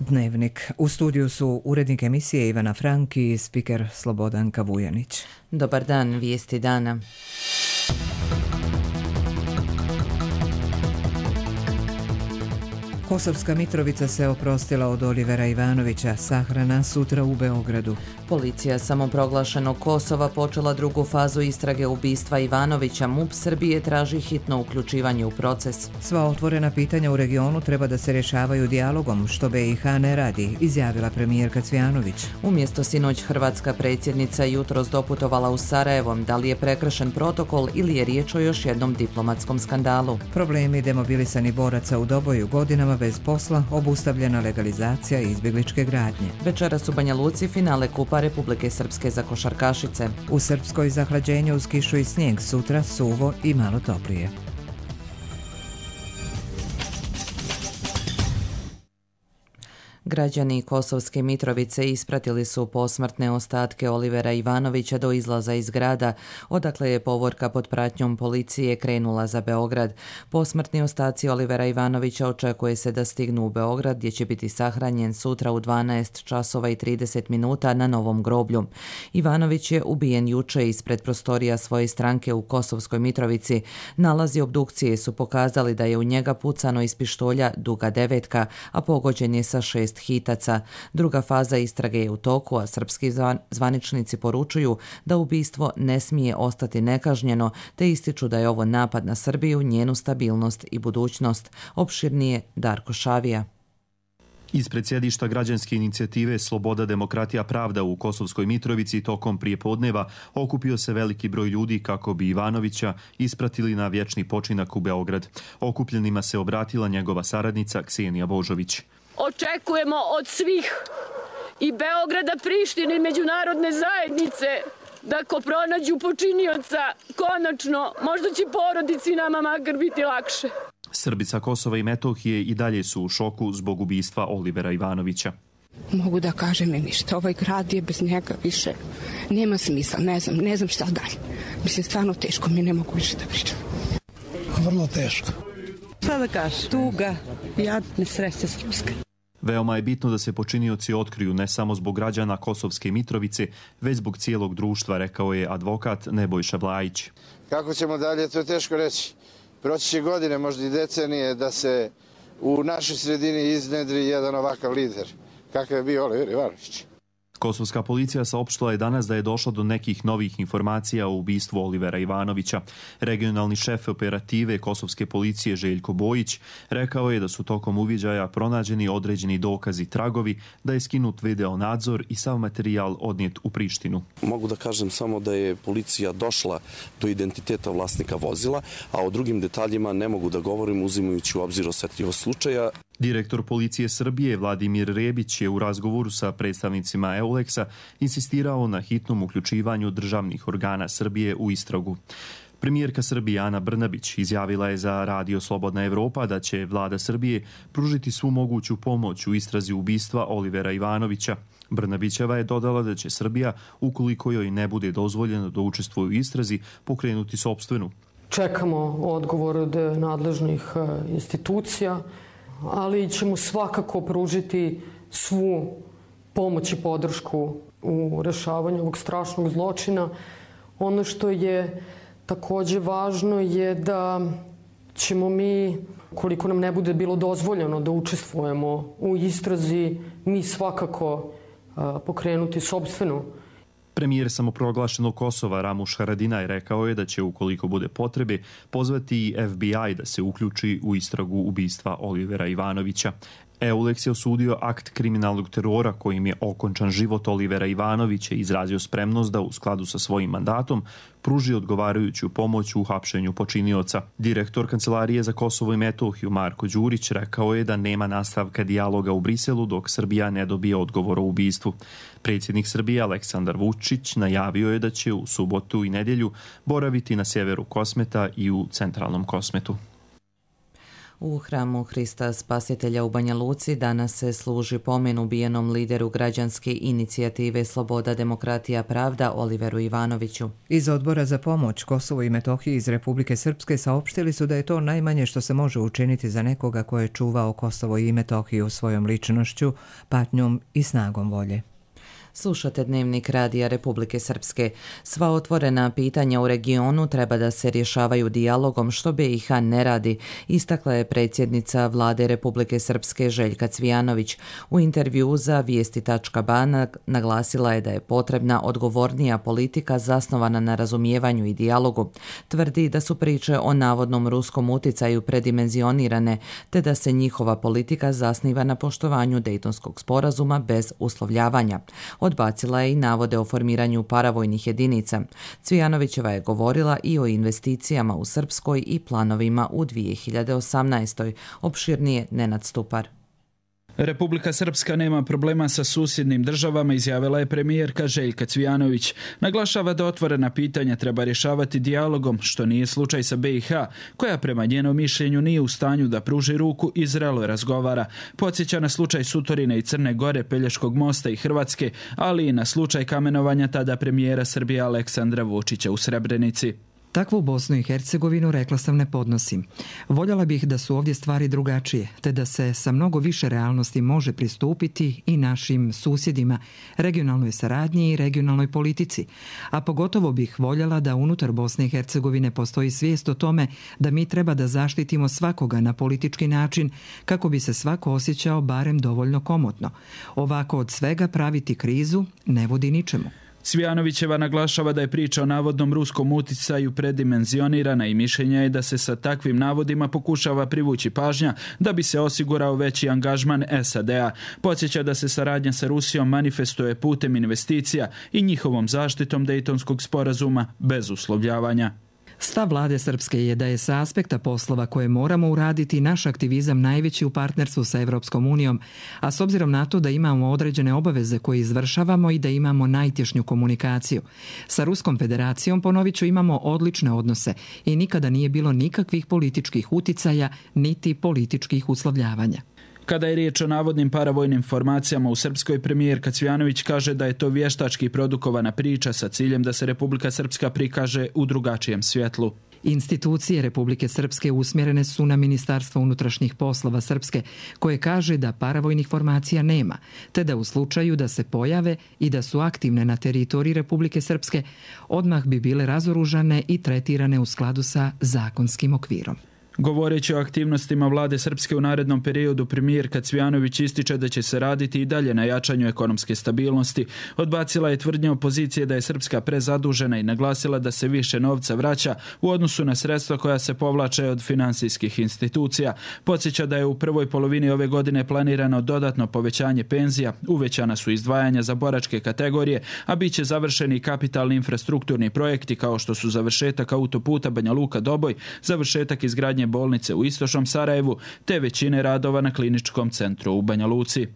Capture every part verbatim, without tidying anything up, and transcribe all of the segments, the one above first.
Dnevnik. U studiju su urednik emisije Ivana Frank i spiker Slobodanka Vujanić. Dobar dan, vijesti dana. Kosovska Mitrovica se oprostila od Olivera Ivanovića, sahrana sutra u Beogradu. Policija samoproglašenog Kosova počela drugu fazu istrage ubistva Ivanovića. MUP Srbije traži hitno uključivanje u proces. Sva otvorena pitanja u regionu treba da se rješavaju dijalogom, što B i H ne radi, izjavila premijerka Cvjanović. Umjesto sinoć hrvatska predsjednica jutros doputovala u Sarajevo. Da li je prekršen protokol ili je riječ o još jednom diplomatskom skandalu? Problemi demobilisanih boraca u Doboju, godinama bez posla, obustavljena legalizacija i izbjegličke gradnje. Večeras u Banja Luci finale Kupa Republike Srpske za košarkašice. U Srpskoj zahlađenje uz kišu i snijeg, sutra suvo i malo toplije. Građani Kosovske Mitrovice ispratili su posmrtne ostatke Olivera Ivanovića do izlaza iz grada, odakle je povorka pod pratnjom policije krenula za Beograd. Posmrtni ostaci Olivera Ivanovića očekuje se da stignu u Beograd, gdje će biti sahranjen sutra u dvanaest časova i trideset minuta na Novom groblju. Ivanović je ubijen juče ispred prostorija svoje stranke u Kosovskoj Mitrovici. Nalazi obdukcije su pokazali da je u njega pucano iz pištolja duga devetka, a pogođen je sa šest hitaca. Druga faza istrage je u toku, a srpski zvaničnici poručuju da ubistvo ne smije ostati nekažnjeno, te ističu da je ovo napad na Srbiju, njenu stabilnost i budućnost. Opširnije Darko Šavija. Ispred sjedišta građanske inicijative Sloboda, demokratija, pravda u Kosovskoj Mitrovici tokom prijepodneva okupio se veliki broj ljudi kako bi Ivanovića ispratili na vječni počinak u Beograd. Okupljenima se obratila njegova saradnica Ksenija Božović. Očekujemo od svih i Beograda, Prištine i međunarodne zajednice da ko pronađu počinioca, konačno, možda će porodici nama makar biti lakše. Srbi sa Kosova i Metohije i dalje su u šoku zbog ubistva Olivera Ivanovića. Mogu da kažem mi ništa, ovaj grad je bez njega više, nema smisla, ne znam, ne znam šta dalje. Mislim, stvarno teško, mi ne mogu više da pričam. Vrlo teško. Šta da kažem? Tuga, jad, nesreća srpska. Veoma je bitno da se počinioci otkriju ne samo zbog građana Kosovske Mitrovice, već zbog cijelog društva, rekao je advokat Nebojša Blajić. Kako ćemo dalje, to je teško reći. Proći će godine, možda i decenije, da se u našoj sredini iznedri jedan ovakav lider, kakav je bio Oliver Ivanović. Kosovska policija saopštila je danas da je došlo do nekih novih informacija o ubistvu Olivera Ivanovića. Regionalni šef operative Kosovske policije Željko Bojić rekao je da su tokom uviđaja pronađeni određeni dokazi, tragovi, da je skinut video nadzor i sav materijal odnijet u Prištinu. Mogu da kažem samo da je policija došla do identiteta vlasnika vozila, a o drugim detaljima ne mogu da govorim uzimajući u obzir osjetljivost slučaja. Direktor policije Srbije Vladimir Rebić je u razgovoru sa predstavnicima Euleksa insistirao na hitnom uključivanju državnih organa Srbije u istragu. Premijerka Srbije Ana Brnabić izjavila je za Radio Slobodna Evropa da će vlada Srbije pružiti svu moguću pomoć u istrazi ubistva Olivera Ivanovića. Brnabićeva je dodala da će Srbija, ukoliko joj ne bude dozvoljeno da učestvuje u istrazi, pokrenuti sopstvenu. Čekamo odgovor od nadležnih institucija, ali ćemo svakako pružiti svu pomoć i podršku u rješavanju ovog strašnog zločina. Ono što je također važno je da ćemo mi, koliko nam ne bude bilo dozvoljeno da učestvujemo u istrazi, mi svakako pokrenuti sopstvenu. Premijer samoproglašenog Kosova Ramuš Haradinaj rekao je da će, ukoliko bude potrebe, pozvati i F B I da se uključi u istragu ubistva Olivera Ivanovića. Euleks je osudio akt kriminalnog terora kojim je okončan život Olivera Ivanovića i izrazio spremnost da u skladu sa svojim mandatom pruži odgovarajuću pomoć u hapšenju počinioca. Direktor Kancelarije za Kosovo i Metohiju Marko Đurić rekao je da nema nastavka dijaloga u Briselu dok Srbija ne dobije odgovor o ubistvu. Predsjednik Srbije Aleksandar Vučić najavio je da će u subotu i nedjelju boraviti na sjeveru Kosmeta i u centralnom Kosmetu. U hramu Hrista Spasitelja u Banja Luci danas se služi pomen ubijenom lideru građanske inicijative Sloboda, demokratija, pravda Oliveru Ivanoviću. Iz Odbora za pomoć Kosovo i Metohiji iz Republike Srpske saopštili su da je to najmanje što se može učiniti za nekoga ko je čuvao Kosovo i Metohiju svojom ličnošću, patnjom i snagom volje. Slušate Dnevnik Radija Republike Srpske. Sva otvorena pitanja u regionu treba da se rješavaju dijalogom, što B i H ne radi, istakla je predsjednica Vlade Republike Srpske Željka Cvijanović. U intervjuu za vijesti tačka ba naglasila je da je potrebna odgovornija politika zasnovana na razumijevanju i dijalogu. Tvrdi da su priče o navodnom ruskom uticaju predimenzionirane, te da se njihova politika zasniva na poštovanju Dejtonskog sporazuma bez uslovljavanja. Odbacila je i navode o formiranju paravojnih jedinica. Cvijanovićeva je govorila i o investicijama u Srpskoj i planovima u dvije hiljade osamnaestoj. Opširnije Nenad Stupar. Republika Srpska nema problema sa susjednim državama, izjavila je premijerka Željka Cvijanović. Naglašava da otvorena pitanja treba rješavati dijalogom, što nije slučaj sa B i H, koja prema njenom mišljenju nije u stanju da pruži ruku i zrelo razgovara. Podsjeća na slučaj Sutorine i Crne Gore, Pelješkog mosta i Hrvatske, ali i na slučaj kamenovanja tada premijera Srbije Aleksandra Vučića u Srebrenici. Takvu Bosnu i Hercegovinu, rekla sam, ne podnosim. Voljela bih da su ovdje stvari drugačije, te da se sa mnogo više realnosti može pristupiti i našim susjedima, regionalnoj saradnji i regionalnoj politici. A pogotovo bih voljela da unutar Bosne i Hercegovine postoji svijest o tome da mi treba da zaštitimo svakoga na politički način kako bi se svako osjećao barem dovoljno komotno. Ovako od svega praviti krizu ne vodi ničemu. Cvijanovićeva naglašava da je priča o navodnom ruskom uticaju predimenzionirana i mišljenja je da se sa takvim navodima pokušava privući pažnja da bi se osigurao veći angažman S A D-a. Podsjeća da se saradnja sa Rusijom manifestuje putem investicija i njihovom zaštitom Dejtonskog sporazuma bez uslovljavanja. Stav Vlade Srpske je da je sa aspekta poslova koje moramo uraditi naš aktivizam najveći u partnerstvu sa Evropskom unijom, a s obzirom na to da imamo određene obaveze koje izvršavamo i da imamo najtješnju komunikaciju. Sa Ruskom federacijom, ponovit ću, imamo odlične odnose i nikada nije bilo nikakvih političkih uticaja niti političkih uslovljavanja. Kada je riječ o navodnim paravojnim formacijama u Srpskoj, premijerka Cvijanović kaže da je to vještački produkovana priča sa ciljem da se Republika Srpska prikaže u drugačijem svjetlu. Institucije Republike Srpske usmjerene su na Ministarstvo unutrašnjih poslova Srpske, koje kaže da paravojnih formacija nema, te da u slučaju da se pojave i da su aktivne na teritoriji Republike Srpske, odmah bi bile razoružane i tretirane u skladu sa zakonskim okvirom. Govoreći o aktivnostima Vlade Srpske u narednom periodu, premijerka Cvijanović ističe da će se raditi i dalje na jačanju ekonomske stabilnosti. Odbacila je tvrdnje opozicije da je Srpska prezadužena i naglasila da se više novca vraća u odnosu na sredstva koja se povlače od finansijskih institucija. Podsjeća da je u prvoj polovini ove godine planirano dodatno povećanje penzija, uvećana su izdvajanja za boračke kategorije, a bit će završeni kapitalni infrastrukturni projekti kao što su završetak autoputa Banja Luka-Doboj, završetak izgradnje bolnice u istočnom Sarajevu, te većine radova na kliničkom centru u Banja Luci.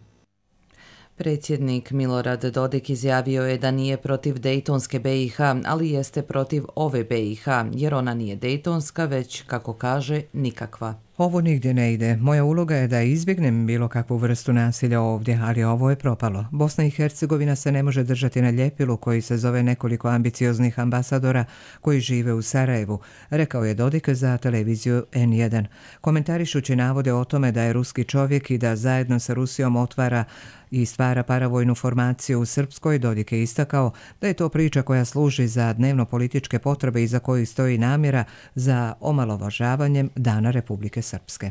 Predsjednik Milorad Dodik izjavio je da nije protiv Dejtonske B i H, ali jeste protiv ove B i H, jer ona nije Dejtonska, već, kako kaže, nikakva. Ovo nigdje ne ide. Moja uloga je da izbjegnem bilo kakvu vrstu nasilja ovdje, ali ovo je propalo. Bosna i Hercegovina se ne može držati na ljepilu koji se zove nekoliko ambicioznih ambasadora koji žive u Sarajevu, rekao je Dodik za televiziju en jedan. Komentarišući navode o tome da je ruski čovjek i da zajedno sa Rusijom otvara i stvara paravojnu formaciju u Srpskoj, Dodik je istakao da je to priča koja služi za dnevno političke potrebe i za koju stoji namjera za omalovažavanjem Dana Republike Srpske.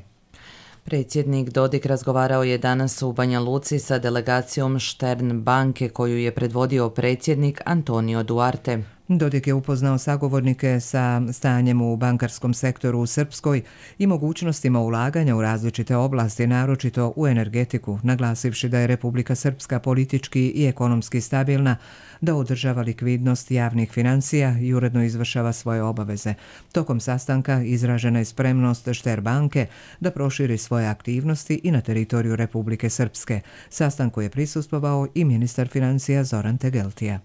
Predsjednik Dodik razgovarao je danas u Banja Luci sa delegacijom Štern banke koju je predvodio predsjednik Antonio Duarte. Dodik je upoznao sagovornike sa stanjem u bankarskom sektoru u Srpskoj i mogućnostima ulaganja u različite oblasti, naročito u energetiku, naglasivši da je Republika Srpska politički i ekonomski stabilna, da održava likvidnost javnih financija i uredno izvršava svoje obaveze. Tokom sastanka izražena je spremnost Šter banke da proširi svoje aktivnosti i na teritoriju Republike Srpske. Sastanku je prisustvovao i ministar financija Zoran Tegeltija.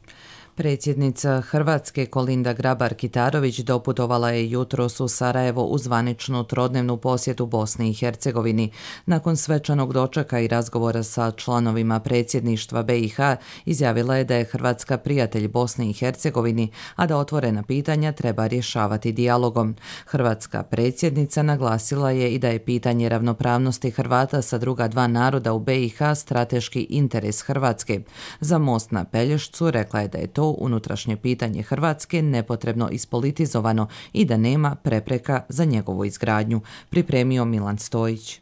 Predsjednica Hrvatske Kolinda Grabar-Kitarović doputovala je jutros u Sarajevo u zvaničnu trodnevnu posjetu Bosni i Hercegovini. Nakon svečanog dočeka i razgovora sa članovima predsjedništva B i H izjavila je da je Hrvatska prijatelj Bosni i Hercegovini, a da otvorena pitanja treba rješavati dijalogom. Hrvatska predsjednica naglasila je i da je pitanje ravnopravnosti Hrvata sa druga dva naroda u B i H strateški interes Hrvatske. Za most na Pelješcu rekla je da je to unutrašnje pitanje Hrvatske nepotrebno ispolitizovano i da nema prepreka za njegovu izgradnju, pripremio Milan Stojić.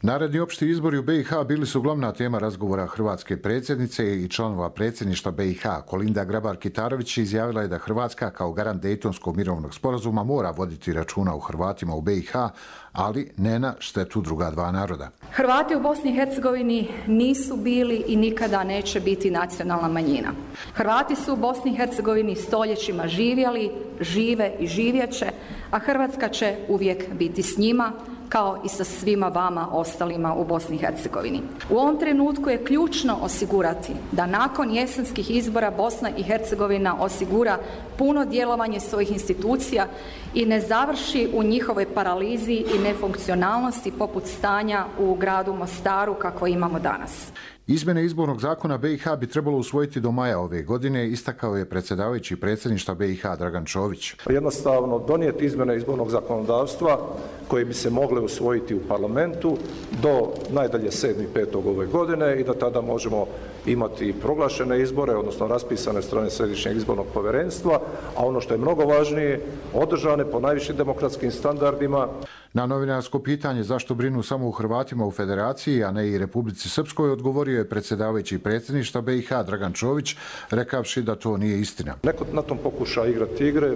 Naredni opšti izbori u B i H bili su glavna tema razgovora hrvatske predsjednice i članova predsjedništva B i H. Kolinda Grabar-Kitarović izjavila je da Hrvatska kao garant Dejtonskog mirovnog sporazuma mora voditi računa o Hrvatima u B i H, ali ne na štetu druga dva naroda. Hrvati u Bosni i Hercegovini nisu bili i nikada neće biti nacionalna manjina. Hrvati su u Bosni i Hercegovini stoljećima živjeli, žive i živjeće, a Hrvatska će uvijek biti s njima, kao i sa svima vama ostalima u Bosni i Hercegovini. U ovom trenutku je ključno osigurati da nakon jesenskih izbora Bosna i Hercegovina osigura puno djelovanje svojih institucija i ne završi u njihovoj paralizi i nefunkcionalnosti poput stanja u gradu Mostaru kako imamo danas. Izmjene izbornog zakona B i H bi trebalo usvojiti do maja ove godine, istakao je predsjedavajući predsjedništva B i H Dragan Čović. Jednostavno donijeti izmjene izbornog zakonodavstva koje bi se mogle usvojiti u parlamentu do najdalje sedmi petog ove godine i da tada možemo imati proglašene izbore, odnosno raspisane strane Središnjeg izbornog povjerenstva, a ono što je mnogo važnije, održane po najvišim demokratskim standardima. Na novinarsko pitanje zašto brinu samo u Hrvatima u Federaciji, a ne i Republici Srpskoj, odgovorio je predsjedavajući predsjedništva B i H Dragan Čović, rekavši da to nije istina. Neko na tom pokuša igrati igre,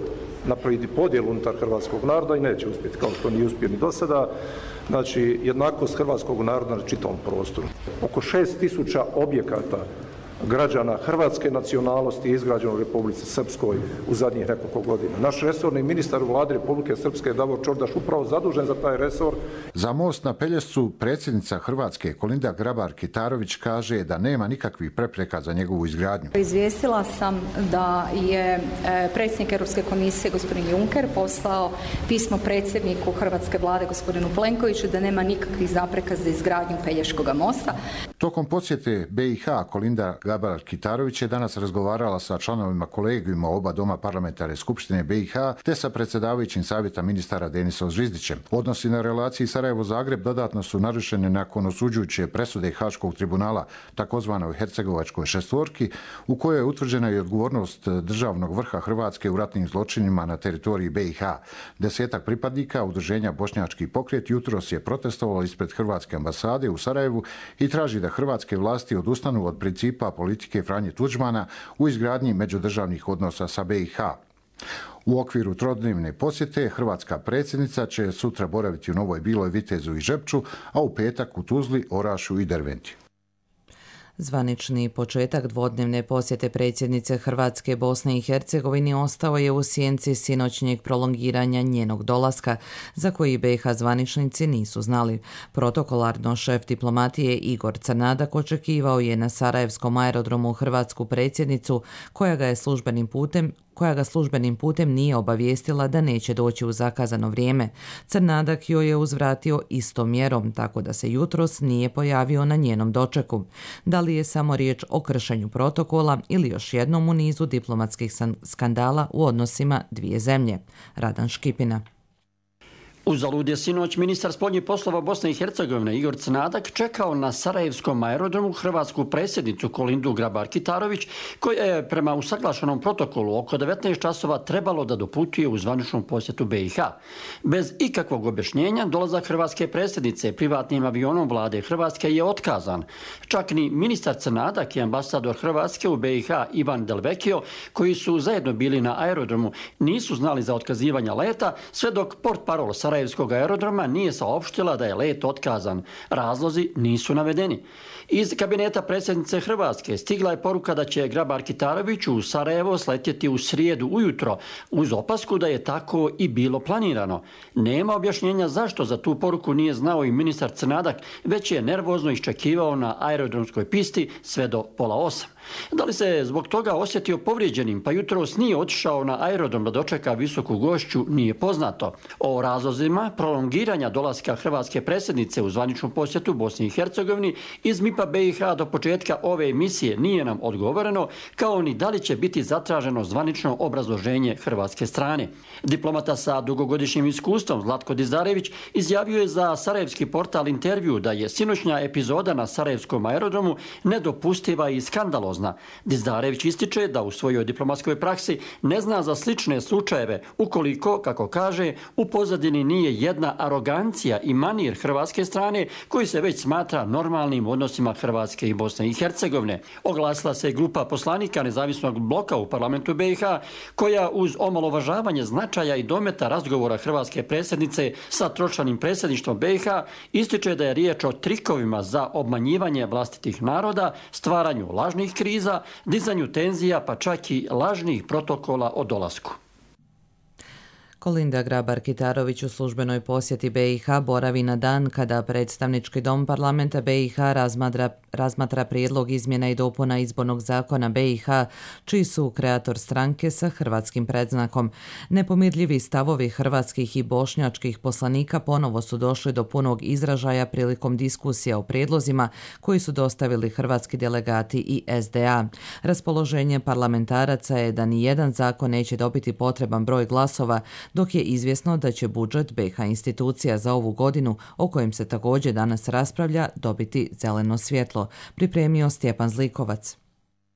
napraviti podjelu unutar hrvatskog naroda i neće uspjeti, kao što nije uspio ni do sada. Znači, jednakost hrvatskog naroda na čitavom prostoru. Oko šest tisuća objekata građana hrvatske nacionalnosti je izgrađeno u Republici Srpskoj u zadnjih nekoliko godina. Naš resorni ministar u vladi Republike Srpske Davor Čordaš upravo zadužen za taj resor. Za most na Pelješcu predsjednica Hrvatske Kolinda Grabar-Kitarović kaže da nema nikakvih prepreka za njegovu izgradnju. Izvijestila sam da je predsjednik Europske komisije gospodin Juncker poslao pismo predsjedniku hrvatske vlade gospodinu Plenkoviću da nema nikakvih zapreka za izgradnju Pelješkog mosta. Tokom posjete B i H Kolinda Grabar-Kitarović je danas razgovarala sa članovima kolegijuma oba doma parlamentarne skupštine B i H te sa predsjedavajućim savjeta ministara Denisom Zvizdićem. Odnosi na relaciji Sarajevo-Zagreb dodatno su narušene nakon osuđujuće presude Haškog tribunala, takozvanoj Hercegovačkoj šestvorki, u kojoj je utvrđena i odgovornost državnog vrha Hrvatske u ratnim zločinima na teritoriji B i H. Desetak pripadnika udruženja Bošnjački pokret jutros je protestovalo ispred Hrvatske ambasade u Sarajevu i traži da hrvatske vlasti odustanu od principa politike Franje Tuđmana u izgradnji međudržavnih odnosa sa B i H. U okviru trodnevne posjete hrvatska predsjednica će sutra boraviti u Novoj Biloj, Vitezu i Žepču, a u petak u Tuzli, Orašju i Derventi. Zvanični početak dvodnevne posjete predsjednice Hrvatske Bosne i Hercegovini ostao je u sjenci sinoćnjeg prolongiranja njenog dolaska, za koji B i H zvaničnici nisu znali. Protokolarno šef diplomatije Igor Crnadak očekivao je na sarajevskom aerodromu hrvatsku predsjednicu, koja ga je službenim putem koja ga službenim putem nije obavijestila da neće doći u zakazano vrijeme. Crnadak joj je uzvratio istom mjerom, tako da se jutros nije pojavio na njenom dočeku. Da li je samo riječ o kršenju protokola ili još jednom u nizu diplomatskih skandala u odnosima dvije zemlje? Radan Škipina. Uzalud je sinoć ministar spoljnih poslova Bosne i Hercegovine Igor Crnadak čekao na sarajevskom aerodromu hrvatsku predsjednicu Kolindu Grabar-Kitarović, koja je prema usaglašenom protokolu oko devetnaest časova trebalo da doputuje u zvaničnu posjetu B i H. Bez ikakvog objašnjenja dolazak hrvatske predsjednice privatnim avionom vlade Hrvatske je otkazan. Čak ni ministar Crnadak i ambasador Hrvatske u B i H Ivan Delvekio, koji su zajedno bili na aerodromu, nisu znali za otkazivanje leta, sve dok portparol Sarajeva sarajevskog aerodroma nije saopštila da je let otkazan. Razlozi nisu navedeni. Iz kabineta predsjednice Hrvatske stigla je poruka da će Grabar-Kitarović u Sarajevo sletjeti u srijedu ujutro, uz opasku da je tako i bilo planirano. Nema objašnjenja zašto za tu poruku nije znao i ministar Crnadak, već je nervozno iščekivao na aerodromskoj pisti sve do pola osam. Da li se zbog toga osjetio povrijeđenim, pa jutros nije otišao na aerodrom da dočeka visoku gošću, nije poznato. O razlozima prolongiranja dolaska hrvatske predsjednice u zvaničnu posjetu Bosni i Hercegovini iz MIP-a B i H do početka ove emisije nije nam odgovoreno, kao ni da li će biti zatraženo zvanično obrazloženje hrvatske strane. Diplomata sa dugogodišnjim iskustvom Zlatko Dizdarević izjavio je za sarajevski portal Intervju da je sinoćnja epizoda na sarajevskom aerodromu nedopustiva i skandalozna. Dizdarević ističe da u svojoj diplomatskoj praksi ne zna za slične slučajeve ukoliko, kako kaže, u pozadini nije jedna arogancija i manir hrvatske strane koji se već smatra normalnim odnosima Hrvatske i Bosne i Hercegovine. Oglasila se grupa poslanika nezavisnog bloka u parlamentu B i H koja uz omalovažavanje značaja i dometa razgovora hrvatske predsjednice sa tročlanim predsjedništvom B i H ističe da je riječ o trikovima za obmanjivanje vlastitih naroda, stvaranju lažnih kriza, dizanju tenzija pa čak i lažnih protokola o dolasku. Kolinda Grabar-Kitarović u službenoj posjeti B i H boravi na dan kada predstavnički dom parlamenta B i H razmatra, razmatra prijedlog izmjena i dopuna izbornog zakona B i H, čiji su kreator stranke sa hrvatskim predznakom. Nepomirljivi stavovi hrvatskih i bošnjačkih poslanika ponovo su došli do punog izražaja prilikom diskusija o prijedlozima koji su dostavili hrvatski delegati i S D A. Raspoloženje parlamentaraca je da ni jedan zakon neće dobiti potreban broj glasova, dok je izvjesno da će budžet B i H institucija za ovu godinu, o kojem se također danas raspravlja, dobiti zeleno svjetlo, pripremio Stjepan Zlikovac.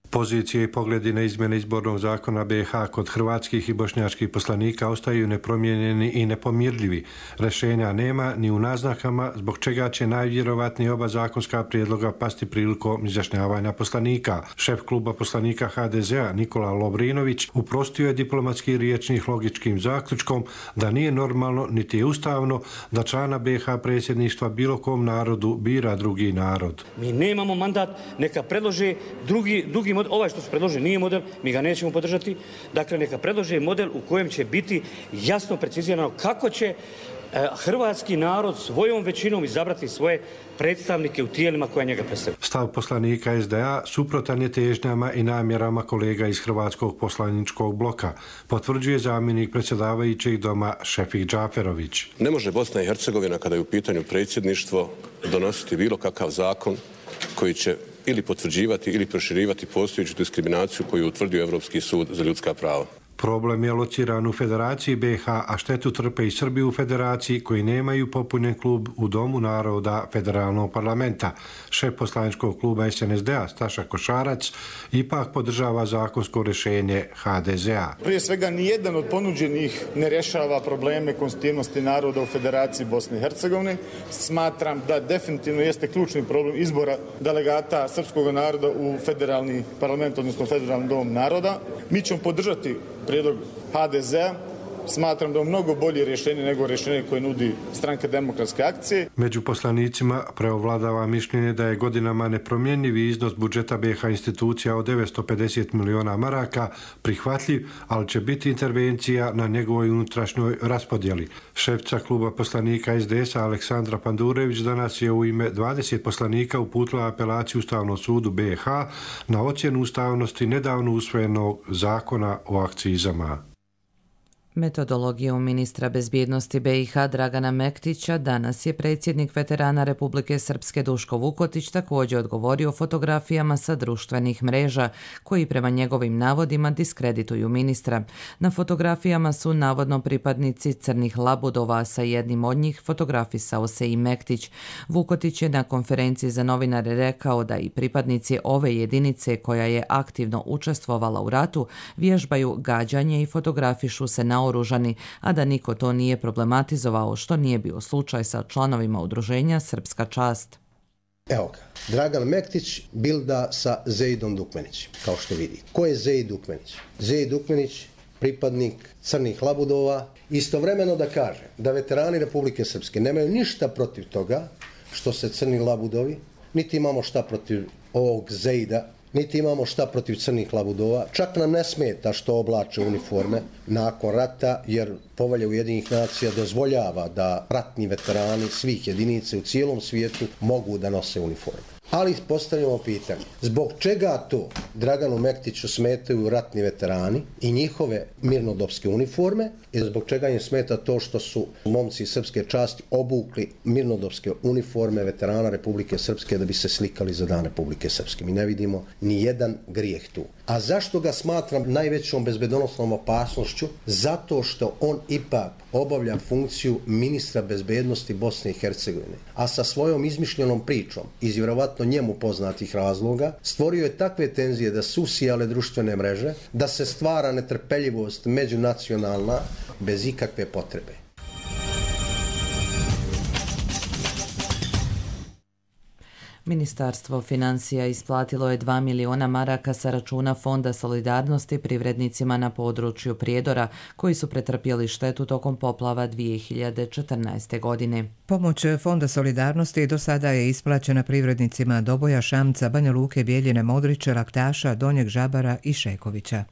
Pozicije i pogledi na izmjene izbornog zakona B i H kod hrvatskih i bošnjačkih poslanika ostaju nepromijenjeni i nepomirljivi. Rešenja nema ni u naznakama, zbog čega će najvjerovatnije oba zakonska prijedloga pasti prilikom izjašnjavanja poslanika. Šef kluba poslanika H D Z a Nikola Lovrinović uprostio je diplomatski riječnih logičkim zaključkom da nije normalno niti je ustavno da člana B i H predsjedništva bilo kom narodu bira drugi narod. Mi nemamo mandat, neka predlože drugi, drugi model. Ovaj što su predložili nije model, mi ga nećemo podržati. Dakle, neka predlože model u kojem će biti jasno precizirano kako će hrvatski narod svojom većinom izabrati svoje predstavnike u tijelima koja njega predstavljaju. Stav poslanika S D A suprotan je težnjama i namjerama kolega iz hrvatskog poslaničkog bloka, potvrđuje zamjenik predsjedavajućeg doma Šefik Džaferović. Ne može Bosna i Hercegovina, kada je u pitanju predsjedništvo, donositi bilo kakav zakon koji će ili potvrđivati ili proširivati postojeću diskriminaciju koju je utvrdio Europski sud za ljudska prava. Problem je lociran u Federaciji B i H, a štetu trpe i Srbi u Federaciji koji nemaju popunjen klub u Domu naroda Federalnog parlamenta. Šef poslaničkog kluba S N S D a Staša Košarac ipak podržava zakonsko rješenje H D Z a. Prije svega, nijedan od ponuđenih ne rješava probleme konstitutivnosti naroda u Federaciji Bosne i Hercegovine. Smatram da definitivno jeste ključni problem izbora delegata srpskog naroda u federalni parlament, odnosno federalni dom naroda. Mi ćemo podržati prijedlog H D Z a. Smatram da je mnogo bolje rješenje nego rješenje koje nudi Stranka demokratske akcije. Među poslanicima preovladava mišljenje da je godinama nepromjenjivi iznos budžeta B i H institucija od devetsto pedeset miliona maraka prihvatljiv, ali će biti intervencija na njegovoj unutrašnjoj raspodjeli. Šefca kluba poslanika S D S a Aleksandra Pandurević danas je u ime dvadeset poslanika uputila apelaciju Ustavnom sudu B i H na ocjenu ustavnosti nedavno usvojenog zakona o akcizama. Metodologijom ministra bezbjednosti B i H Dragana Mektića danas je predsjednik veterana Republike Srpske Duško Vukotić također odgovorio fotografijama sa društvenih mreža koji prema njegovim navodima diskredituju ministra. Na fotografijama su navodno pripadnici crnih labudova, sa jednim od njih fotografisao se i Mektić. Vukotić je na konferenciji za novinare rekao da i pripadnici ove jedinice koja je aktivno učestvovala u ratu vježbaju gađanje i fotografišu se na oružani, a da niko to nije problematizovao, što nije bio slučaj sa članovima udruženja Srpska čast. Evo ga, Dragan Mektić bilda sa Zeidom Dukmenićem, kao što vidi. Ko je Zeid Dukmenić? Zeid Dukmenić pripadnik crnih labudova. Istovremeno da kažem da veterani Republike Srpske nemaju ništa protiv toga što se crni labudovi, niti imamo šta protiv ovog Zejda, niti imamo šta protiv crnih labudova. Čak nam ne smeta što oblače uniforme nakon rata, jer Povelja Ujedinjenih nacija dozvoljava da ratni veterani svih jedinica u cijelom svijetu mogu da nose uniforme. Ali postavljamo pitanje, zbog čega to Draganu Mektiću smetaju ratni veterani i njihove mirnodopske uniforme i zbog čega im smeta to što su momci srpske časti obukli mirnodopske uniforme veterana Republike Srpske da bi se slikali za Dan Republike Srpske. Mi ne vidimo ni jedan grijeh tu. A zašto ga smatram najvećom bezbedonosnom opasnošću? Zato što on ipak obavlja funkciju ministra bezbednosti Bosne i Hercegovine, a sa svojom izmišljenom pričom iz vjerovatno njemu poznatih razloga stvorio je takve tenzije da su usijale društvene mreže, da se stvara netrpeljivost međunacionalna bez ikakve potrebe. Ministarstvo financija isplatilo je dva miliona maraka sa računa Fonda solidarnosti privrednicima na području Prijedora koji su pretrpjeli štetu tokom poplava dvije hiljade četrnaeste. godine. Pomoć Fonda solidarnosti do sada je isplaćena privrednicima Doboja, Šamca, Banja Luke, Bijeljine, Modrića, Laktaša, Donjeg Žabara i Šekovića.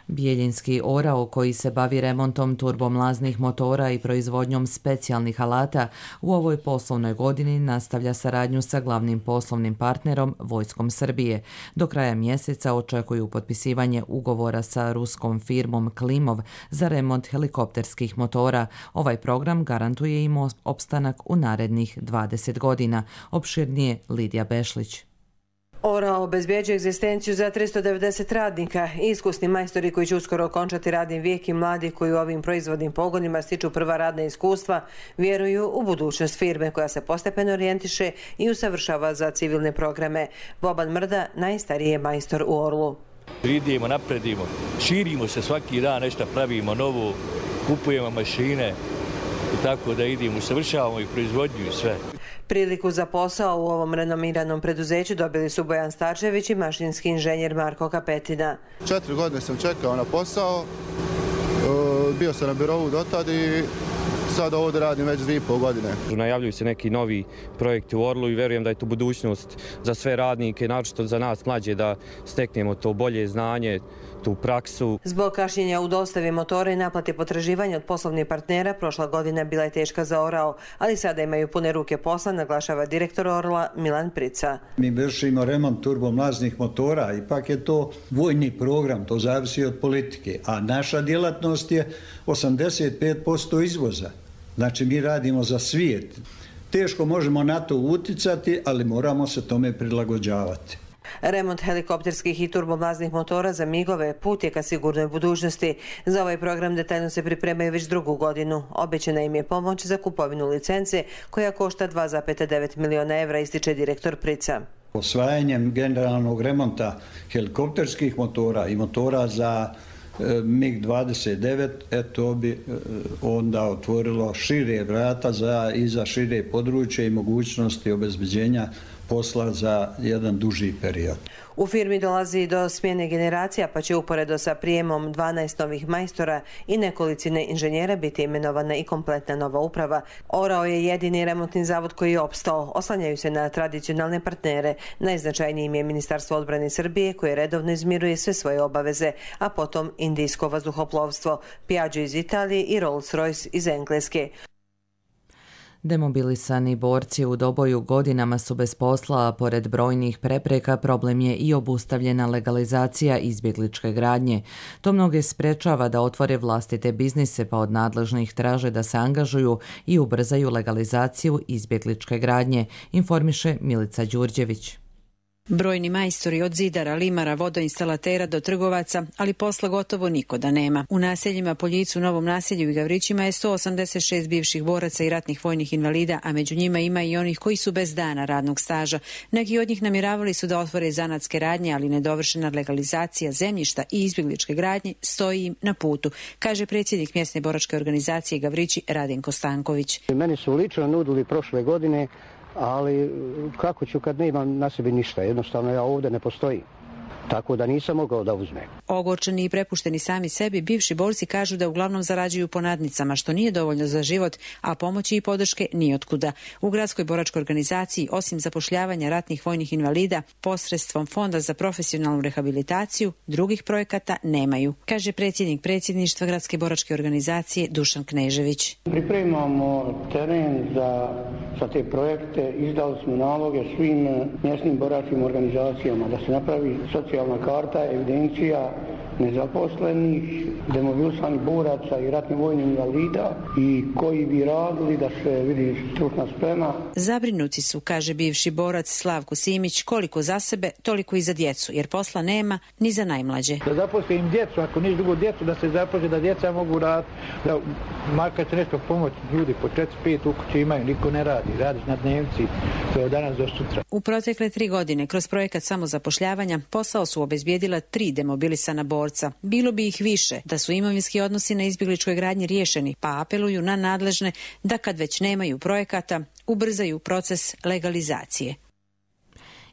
Bijeljinski orao koji se bavi remontom turbomlaznih motora i proizvodnjom specijalnih alata u ovoj poslovnoj godini nastavlja saradnju sa glavnim poslovnim partnerom Vojskom Srbije. Do kraja mjeseca očekuju potpisivanje ugovora sa ruskom firmom Klimov za remont helikopterskih motora. Ovaj program garantuje im opstanak u narednih dvadeset godina. Opširnije Lidija Bešlić. Orao obezbjeđuje egzistenciju za tristo devedeset radnika. Iskusni majstori koji će uskoro okončati radni vijek i mladi koji u ovim proizvodnim pogonima stiču prva radna iskustva vjeruju u budućnost firme koja se postepeno orijentiše i usavršava za civilne programe. Boban Mrda najstariji je majstor u Orlu. Idemo, napredimo, širimo se svaki dan, nešto pravimo novo, kupujemo mašine i tako da idemo, usavršavamo i proizvodnju i sve. Priliku za posao u ovom renomiranom preduzeću dobili su Bojan Starčević i mašinski inženjer Marko Kapetina. Četiri godine sam čekao na posao, bio sam na birovu dotad i sad ovdje radim već dvije i pol godine. Najavljuju se neki novi projekti u Orlu i verujem da je to budućnost za sve radnike, naročito za nas mlađe da steknemo to bolje znanje, tu praksu. Zbog kašnjenja u dostavi motora i naplati potraživanja od poslovnih partnera, prošla godina bila je teška za Orao, ali sada imaju pune ruke posla, naglašava direktor Orla Milan Prica. Mi vršimo remont turbomlaznih motora, ipak je to vojni program, to zavisi od politike, a naša djelatnost je osamdeset pet posto izvoza. Znači mi radimo za svijet. Teško možemo na to uticati, ali moramo se tome prilagođavati. Remont helikopterskih i turbomlaznih motora za migove put je ka sigurnoj budućnosti. Za ovaj program detaljno se pripremaju već drugu godinu. Obećana im je pomoć za kupovinu licence koja košta dva zarez devet miliona evra, ističe direktor Prica. Osvajanjem generalnog remonta helikopterskih motora i motora za mig dvadeset devet, eto bi onda otvorilo šire vrata za, i za šire područje i mogućnosti obezbeđenja posla za jedan duži period. U firmi dolazi do smjene generacija, pa će uporedo sa prijemom dvanaest novih majstora i nekolicine inženjera biti imenovana i kompletna nova uprava. Orao je jedini remontni zavod koji je opstao. Oslanjaju se na tradicionalne partnere. Najznačajnijim je Ministarstvo odbrane Srbije koje redovno izmiruje sve svoje obaveze, a potom indijsko vazduhoplovstvo, Piaggio iz Italije i Rolls-Royce iz Engleske. Demobilisani borci u Doboju godinama su bez posla, a pored brojnih prepreka problem je i obustavljena legalizacija izbjegličke gradnje. To mnoge sprečava da otvore vlastite biznise, pa od nadležnih traže da se angažuju i ubrzaju legalizaciju izbjegličke gradnje, informiše Milica Đurđević. Brojni majstori od zidara, limara, vodoinstalatera do trgovaca, ali posla gotovo niko da nema. U naseljima Poljicu, Novom naselju i Gavrićima je sto osamdeset šest bivših boraca i ratnih vojnih invalida, a među njima ima i onih koji su bez dana radnog staža. Neki od njih namjeravali su da otvore zanatske radnje, ali nedovršena legalizacija zemljišta i izbjegličke gradnje stoji im na putu, kaže predsjednik mjesne boračke organizacije Gavrići Radenko Stanković. Meni su lično nudili prošle godine, ali kako ću kad ne imam na sebi ništa, jednostavno ja ovdje ne postoji. tako da nisam mogao da uzmem. Ogorčeni i prepušteni sami sebi, bivši borci kažu da uglavnom zarađuju po nadnicama, što nije dovoljno za život, a pomoći i podrške nijotkuda. U gradskoj boračkoj organizaciji, osim zapošljavanja ratnih vojnih invalida, posredstvom Fonda za profesionalnu rehabilitaciju, drugih projekata nemaju, kaže predsjednik predsjedništva gradske boračke organizacije Dušan Knežević. Pripremamo teren za, za te projekte, izdali smo naloge svim mjesnim boračkim organizacijama da se napravi socijalna karta, evidencija nezaposlenih, demobilisanih boraca i ratnih vojnih invalida i koji bi radili da se vidi stručna sprema. Zabrinuti su, kaže bivši borac Slavko Simić, koliko za sebe, toliko i za djecu, jer posla nema ni za najmlađe. Da zaposle im djecu, ako niš drugo djecu, da se zaposle, da djeca mogu raditi, da makar će nešto pomoći ljudi po četiri pet u kući imaju, niko ne radi, radiš na dnevci, to je od danas do sutra. U protekle tri godine, kroz projekat samozapošljavanja, posao su obezbijedila tri demobilisana borca. Bilo bi ih više da su imovinski odnosi na izbjegličkoj gradnji riješeni, pa apeluju na nadležne da kad već nemaju projekata, ubrzaju proces legalizacije.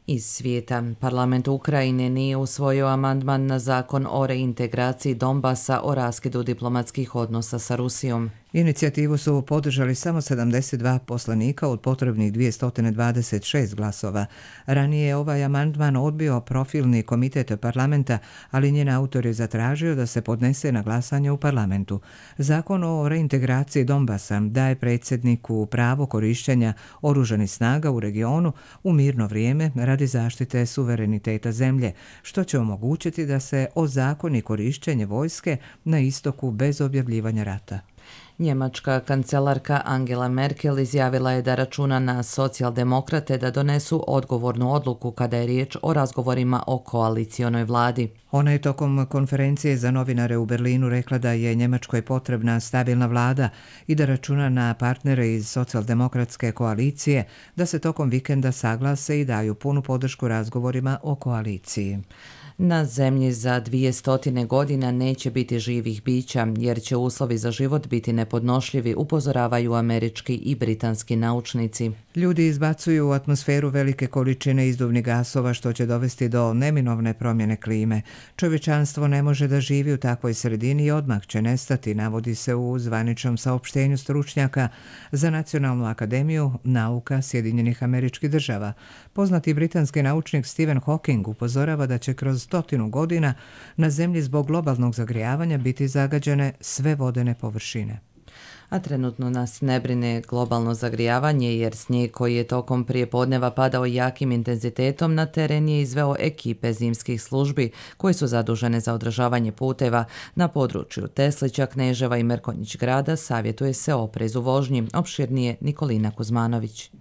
Iz svijeta, parlament Ukrajine nije usvojio amandman na zakon o reintegraciji Donbasa o raskidu diplomatskih odnosa sa Rusijom. Inicijativu su podržali samo sedamdeset dva poslanika od potrebnih dvjesto dvadeset šest glasova. Ranije je ovaj amandman odbio profilni komitet parlamenta, ali njen autor je zatražio da se podnese na glasanje u parlamentu. Zakon o reintegraciji Donbasa daje predsjedniku pravo korištenja oružanih snaga u regionu u mirno vrijeme radi zaštite suvereniteta zemlje, što će omogućiti da se ozakoni korištenje vojske na istoku bez objavljivanja rata. Njemačka kancelarka Angela Merkel izjavila je da računa na socijaldemokrate da donesu odgovornu odluku kada je riječ o razgovorima o koalicionoj vladi. Ona je tokom konferencije za novinare u Berlinu rekla da je Njemačkoj potrebna stabilna vlada i da računa na partnere iz socijaldemokratske koalicije da se tokom vikenda saglase i daju punu podršku razgovorima o koaliciji. Na zemlji za dvije stotine godina neće biti živih bića, jer će uslovi za život biti nepodnošljivi, upozoravaju američki i britanski naučnici. Ljudi izbacuju u atmosferu velike količine izduvnih gasova, što će dovesti do neminovne promjene klime. Čovječanstvo ne može da živi u takvoj sredini i odmah će nestati, navodi se u zvaničnom saopštenju stručnjaka za Nacionalnu akademiju nauka Sjedinjenih Američkih Država. Poznati britanski naučnik Stephen Hawking upozorava da će kroz stotinu godina na zemlji zbog globalnog zagrijavanja biti zagađene sve vodene površine. A trenutno nas ne brine globalno zagrijavanje, jer snijeg koji je tokom prijepodneva padao jakim intenzitetom na teren je izveo ekipe zimskih službi koje su zadužene za održavanje puteva. Na području Teslića, Kneževa i Mrkonjić grada savjetuje se oprez u vožnji. Opširnije Nikolina Kuzmanović.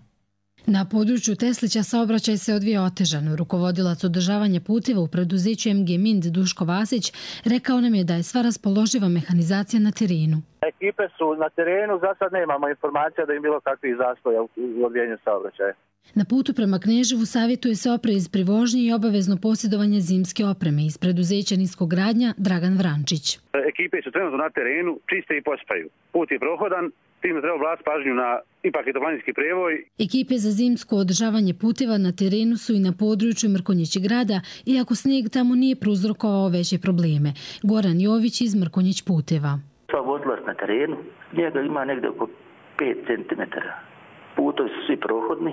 Na području Teslića saobraćaj se odvija otežano. Rukovodilac održavanja puteva u preduzeću M G Mind Duško Vasić rekao nam je da je sva raspoloživa mehanizacija na terenu. Ekipe su na terenu, za sad nemamo informacija da im bilo kakvih zastoja u odvijanju saobraćaja. Na putu prema Kneževu savjetuje se oprez pri vožnji i obavezno posjedovanje zimske opreme. Iz preduzeća Niskogradnja Dragan Vrančić. Ekipe su trenutno na terenu, čiste i pospaju. Put je prohodan, tim treba obratiti pažnju na ipak je to planinski prijevoj. Ekipe za zimsko održavanje puteva na terenu su i na području Mrkonjić grada, iako snijeg tamo nije prouzrokovao veće probleme. Goran Jović iz Mrkonjić puteva. Sva vodilac na terenu, njega ima negdje oko pet centimetara. Putovi su svi prohodni,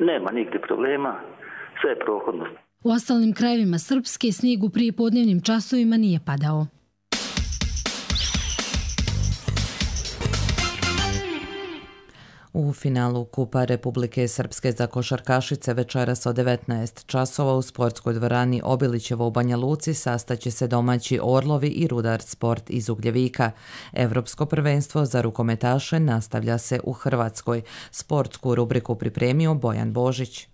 nema nigdje problema, sve je prohodno. U ostalim krajevima Srpske snijeg u prijepodnevnim časovima nije padao. U finalu Kupa Republike Srpske za košarkašice večeras od devetnaest časova u sportskoj dvorani Obilićevo u Banja Luci sastaće se domaći Orlovi i Rudar Sport iz Ugljevika. Evropsko prvenstvo za rukometaše nastavlja se u Hrvatskoj. Sportsku rubriku pripremio Bojan Božić.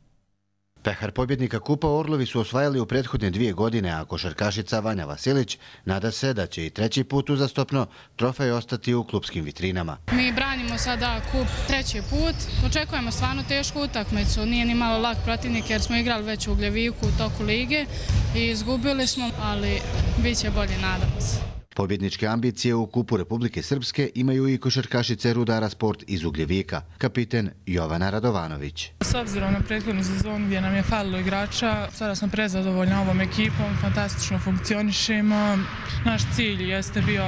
Pehar pobjednika Kupa Orlovi su osvajali u prethodne dvije godine, a košarkašica Vanja Vasilić nada se da će i treći put uzastopno trofej ostati u klupskim vitrinama. Mi branimo sada kup treći put. Očekujemo stvarno tešku utakmicu. Nije ni malo lak protivnik jer smo igrali već u Ugljeviku u toku lige i izgubili smo, ali bit će bolje, nadamo se. Pobjedničke ambicije u kupu Republike Srpske imaju i košarkašice Rudara Sport iz Ugljevika, kapiten Jovana Radovanović. S obzirom na prethodnu sezonu gdje nam je falilo igrača, sada smo prezadovoljni ovom ekipom, fantastično funkcionišemo. Naš cilj jeste bio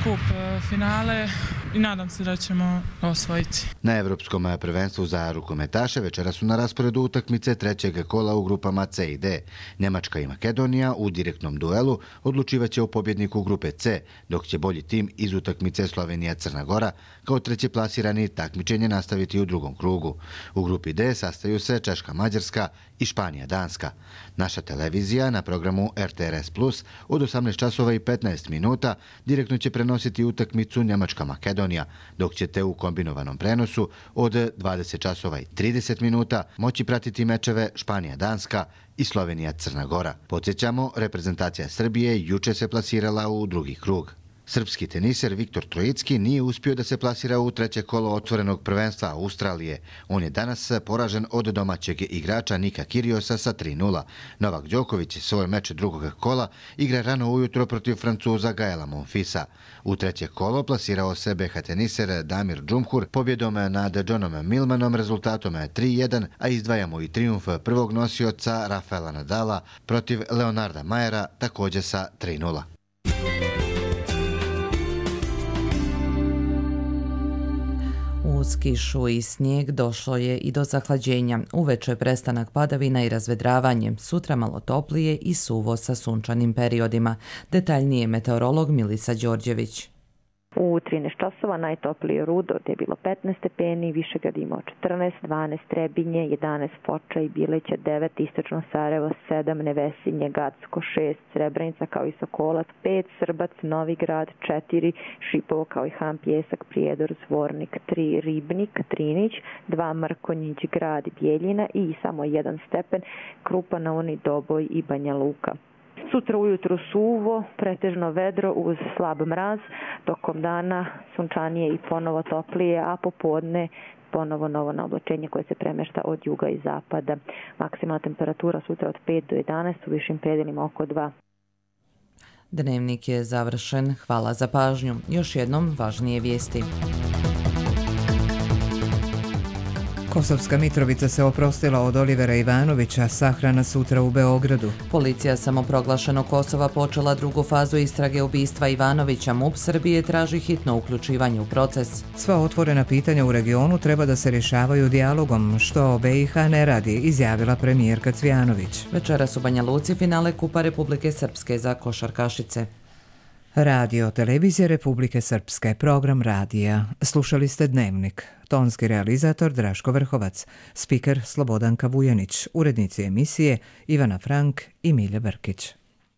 kup finale i nadam se da ćemo osvojiti. Na Evropskom prvenstvu za rukometaše večera su na rasporedu utakmice trećeg kola u grupama C i D. Njemačka i Makedonija u direktnom duelu odlučivaće o pobjedniku grupe C, dok će bolji tim iz utakmice Slovenija-Crna Gora kao treći plasirani takmičenje nastaviti u drugom krugu. U grupi D sastaju se Češka-Mađarska i Španija-Danska. Naša televizija na programu R T R S plus od osamnaest časova i petnaest minuta direktno će prenositi utakmicu Njemačka-Makedonija, dok ćete u kombinovanom prenosu od dvadeset časova i trideset minuta moći pratiti mečeve Španija-Danska i Slovenija-Crna Gora. Podsjećamo, reprezentacija Srbije juče se plasirala u drugi krug. Srpski teniser Viktor Trojicki nije uspio da se plasira u treće kolo otvorenog prvenstva Australije. On je danas poražen od domaćeg igrača Nika Kyriosa sa tri nula. Novak Đoković svoj meč drugog kola igra rano ujutro protiv Francuza Gaela Monfilsa. U treće kolo plasirao se B H teniser Damir Džumhur pobjedom nad Johnom Millmanom rezultatom tri jedan, a izdvajamo i trijumf prvog nosioca Rafaela Nadala protiv Leonarda Mayera također sa tri nula. Uz kišu i snijeg došlo je i do zahlađenja. Uveče je prestanak padavina i razvedravanje. Sutra malo toplije i suvo sa sunčanim periodima. Detaljnije meteorolog Milica Đorđević. U trinaest časova najtoplije Rudo, gdje je bilo petnaest stepeni, Višegrad imao četrnaest, dvanaest Trebinje, jedanaest Foča i Bileća, devet Istočno Sarajevo, sedam Nevesinje, Gacko, šest Srebrenica kao i Sokolac, pet Srbac, Novi Grad, četiri Šipovo kao i Han Pjesak, Prijedor, Zvornik, tri Ribnik, Trinić, dva Mrkonjić, Grad, Bjeljina i samo jedan stepen Krupa na Uni, Doboj i Banja Luka. Sutra ujutro suvo, pretežno vedro uz slab mraz, tokom dana sunčanije i ponovo toplije, a popodne ponovo novo naoblačenje koje se premešta od juga i zapada. Maksimalna temperatura sutra od pet do jedanaest, u višim predelima oko dva. Dnevnik je završen. Hvala za pažnju. Još jednom važnije vijesti. Kosovska Mitrovica se oprostila od Olivera Ivanovića, sahrana sutra u Beogradu. Policija samoproglašenog Kosova počela drugu fazu istrage ubistva Ivanovića. M U P Srbije traži hitno uključivanje u proces. Sva otvorena pitanja u regionu treba da se rješavaju dijalogom, što B i H ne radi, izjavila premijerka Cvjanović. Večeras u Banja Luci finale Kupa Republike Srpske za košarkašice. Radio Televizije Republike Srpske, program radija. Slušali ste Dnevnik. Tonski realizator Draško Vrhovac, spiker Slobodanka Vujanić, urednici emisije Ivana Frank i Milja Brkić.